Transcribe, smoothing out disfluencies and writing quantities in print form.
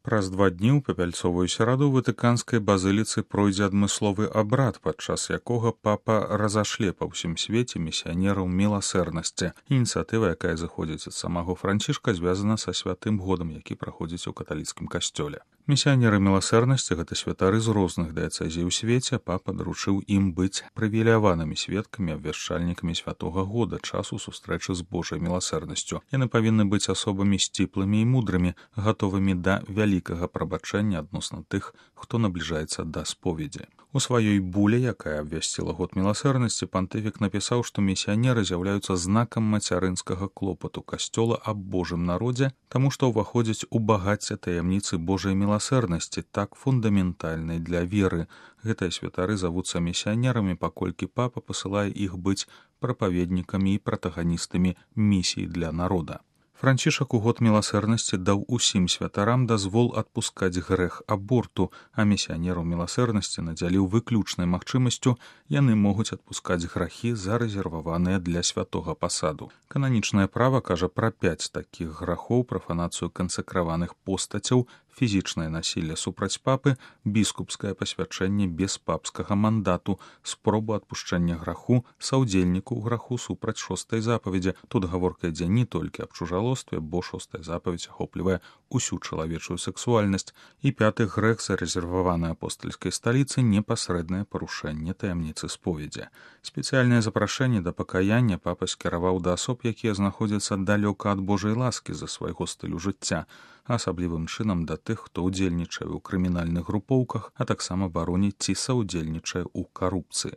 Праз 2 дні ў папяльцовую сераду ў ватыканскай базыліцы пройдзе адмысловы абрад, падчас якога папа разашле па ўсім свеце місіянераў міласэрнасці. Ініцыятыва, якая зыходзіць ад самого Францішка, звязана са святым годам, які праходзіць у каталіцкім касцёле. Місіянеры міласэрнасці — гэта святары з розных дыяцэзій у свеце. Папа даручыў ім быць прывіляванымі сведкамі, абвяшчальнікамі святога года, часу сустрэчы з Божай міласэрнасцю. Яны павінны быць асобамі сціплымі і мудрымі, гатовымі да вялікага прабачэння адносна тых, хто набліжаецца да споведзі. У сваёй буле, якая абвясціла год міласэрнасці, пантыфік напісаў, што місіянеры з'яўляюцца знакам мацярынскага клопату касцёла аб Божым народзе, таму што ўваходзяць у багацце таямніцы Божай міласэрнасці, так фундаментальнай для веры. Гэтыя святары завуцца місіянерамі, паколькі папа пасылае іх быць прапаведнікамі і пратаганістамі місій для народа. Францішак у год міласэрнасці даў усім святарам дазвол адпускаць грэх аборту, а місіянераў міласэрнасці надзяліў выключнай магчымасцю, яны могуць адпускаць грахі, зарэзерваваныя для святога пасаду. Кананічнае права кажа пра 5 такіх грахоў: прафанацыю кансакраваных постацяў, фізічнае насілле супраць папы, біскупскае пасвячэнне без папскага мандату, спробу адпушчэння граху, саўдзельніку ў граху супраць 6-й запаведзі. Тут гаворка ідзе не толькі аб чужалостве, бо 6-я запаведзь ахоплівае усю чалавечую сексуальнасць. І 5-ты грэх, зарэзерваваны апостальскай сталіцы, непасрэднае парушэнне таямніцы споведзі. Спецыяльнае запрашэнне да пакаяння папа скіраваў да асоб, якія знаходзяцца далёка ад Божай ласкі з-за свайго стылю жыцця, асаблівым чынам да тых, хто ўдзельнічае ў крымінальных групоўках, а таксама бароніць ці саўдзельнічае ў карупцыі.